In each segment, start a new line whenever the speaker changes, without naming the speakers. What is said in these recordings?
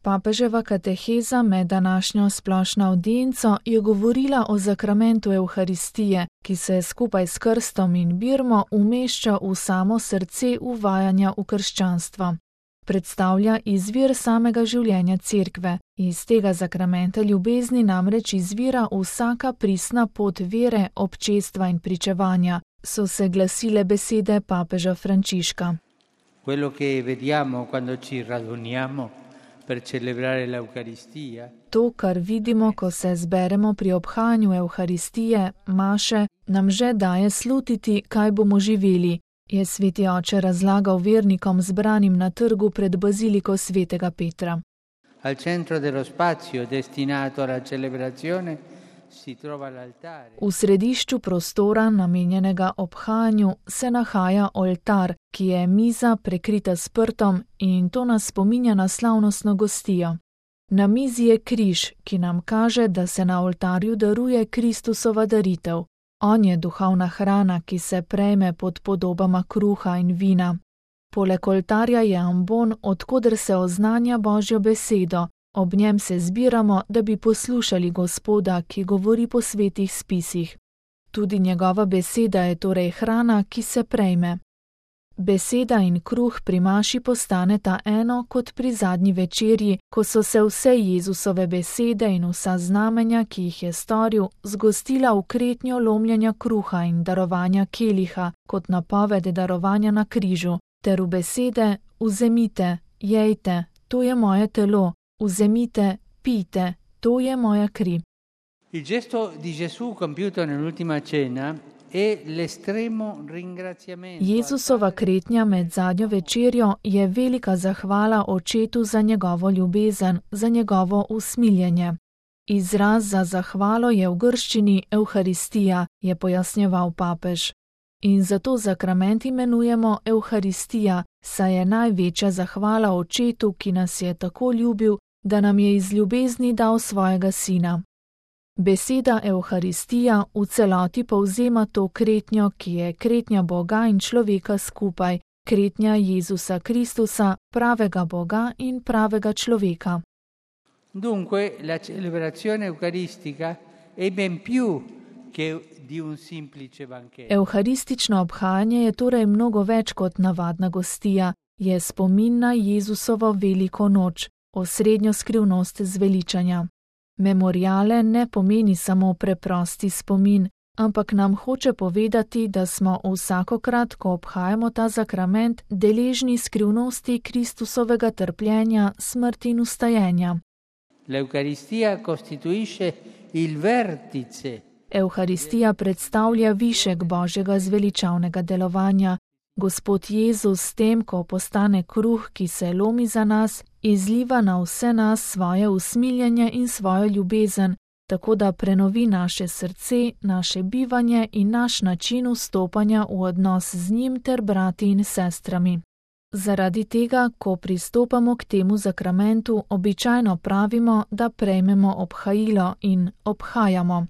Papeževa kateheza med današnjo splošno avdienco je govorila o zakramentu Evharistije, ki se skupaj s krstom in birmo umešča v samo srce uvajanja v krščanstvo. Predstavlja izvir samega življenja Cerkve. Iz tega zakramenta ljubezni namreč izvira vsaka pristna pot vere, občestva in pričevanja, so se glasile besede papeža Frančiška.
Quello che vediamo quando ci raduniamo per celebrare l'Eucaristia.
To, kar vidimo, ko se zberemo pri obhajanju Evharistije, maše, nam že daje slutiti, kaj bomo živeli, je sveti oče razlagal vernikom zbranim na trgu pred baziliko svetega Petra.
Al centro dello spazio destinato alla celebrazione si trova l'altare.
V središču prostora, namenjenega obhajanju, se nahaja oltar, ki je miza prekrita s prtom, in to nas spominja na slavnostno gostijo. Na mizi je križ, ki nam kaže, da se na oltarju daruje Kristusova daritev. On je duhovna hrana, ki se prejme pod podobama kruha in vina. Poleg oltarja je ambon, odkoder se oznanja Božjo besedo. Ob njem se zbiramo, da bi poslušali Gospoda, ki govori po svetih spisih. Tudi njegova beseda je torej hrana, ki se prejme. Beseda in kruh pri maši postaneta eno kot pri zadnji večerji, ko so se vse Jezusove besede in vsa znamenja, ki jih je storil, zgostila v kretnjo lomljenja kruha in darovanja keliha, kot napoved darovanja na križu, ter v besede: vzemite, jejte, to je moje telo, vzemite, pijte, to je moja kri.
Il gesto di Gesù compiuto nell'ultima cena è l'estremo ringraziamento.
Jezusova kretnja med zadnjo večerjo je velika zahvala Očetu za njegovo ljubezen, za njegovo usmiljenje. Izraz za zahvalo je v grščini Evharistija, je pojasnjeval papež. In zato zakrament imenujemo Evharistija, saj je največja zahvala Očetu, ki nas je tako ljubil, da nam je iz ljubezni dal svojega sina. Beseda Evharistija v celoti povzema to kretnjo, ki je kretnja Boga in človeka skupaj, kretnja Jezusa Kristusa, pravega Boga in pravega človeka.
Dunque, la celebrazione eucaristica è ben più che di un semplice banchetto.
Evharistično obhajanje je torej mnogo več kot navadna gostija, je spomin na Jezusovo veliko noč, osrednjo skrivnost zveličanja. Memoriale ne pomeni samo preprosti spomin, ampak nam hoče povedati, da smo vsakokrat, ko obhajamo ta zakrament, deležni skrivnosti Kristusovega trpljenja, smrti in vstajenja.
L'Eucaristia costituisce il vertice.
Evharistija predstavlja višek Božjega zveličavnega delovanja. Gospod Jezus s tem, ko postane kruh, ki se lomi za nas, izliva na vse nas svoje usmiljenje in svojo ljubezen, tako da prenovi naše srce, naše bivanje in naš način vstopanja v odnos z njim ter brati in sestrami. Zaradi tega, ko pristopamo k temu zakramentu, običajno pravimo, da prejmemo obhajilo in obhajamo.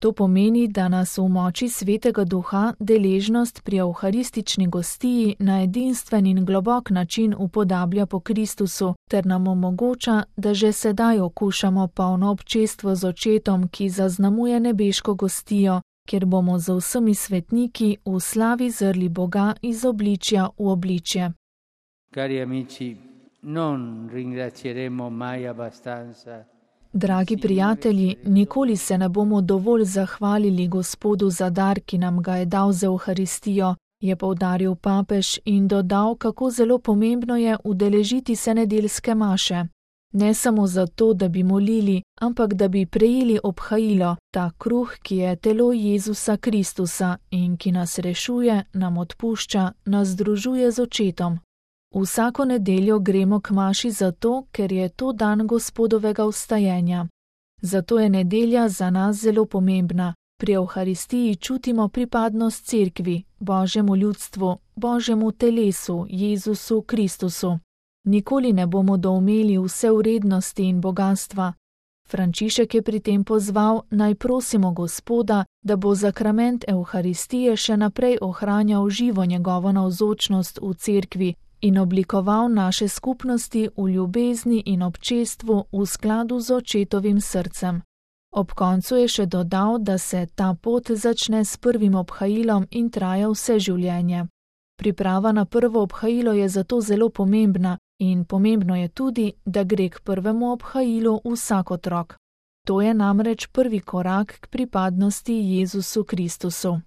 To pomeni, da nas v moči Svetega Duha deležnost pri evharistični gostiji na edinstven in globok način upodablja po Kristusu, ter nam omogoča, da že sedaj okušamo polno občestvo z Očetom, ki zaznamuje nebeško gostijo, kjer bomo z vsemi svetniki v slavi zrli Boga iz obličja v obličje.
Cari amici, non ringrazieremo mai abbastanza.
Dragi prijatelji, nikoli se ne bomo dovolj zahvalili Gospodu za dar, ki nam ga je dal z Evharistijo, je poudaril papež in dodal, kako zelo pomembno je udeležiti se nedeljske maše. Ne samo zato, da bi molili, ampak da bi prejeli obhajilo, ta kruh, ki je telo Jezusa Kristusa in ki nas rešuje, nam odpušča, nas združuje z Očetom. Vsako nedeljo gremo k maši zato, ker je to dan Gospodovega vstajenja. Zato je nedelja za nas zelo pomembna. Pri Evharistiji čutimo pripadnost Cerkvi, Božjemu ljudstvu, Božjemu telesu, Jezusu Kristusu. Nikoli ne bomo doumeli vse vrednosti in bogatstva. Frančišek je pri tem pozval, naj prosimo Gospoda, da bo zakrament Evharistije še naprej ohranjal živo njegovo navzočnost v Cerkvi in oblikoval naše skupnosti v ljubezni in občestvu v skladu z očetovim srcem. Ob koncu je še dodal, da se ta pot začne s prvim obhajilom in traja vse življenje. Priprava na prvo obhajilo je zato zelo pomembna in pomembno je tudi, da gre k prvemu obhajilu vsak otrok. To je namreč prvi korak k pripadnosti Jezusu Kristusu.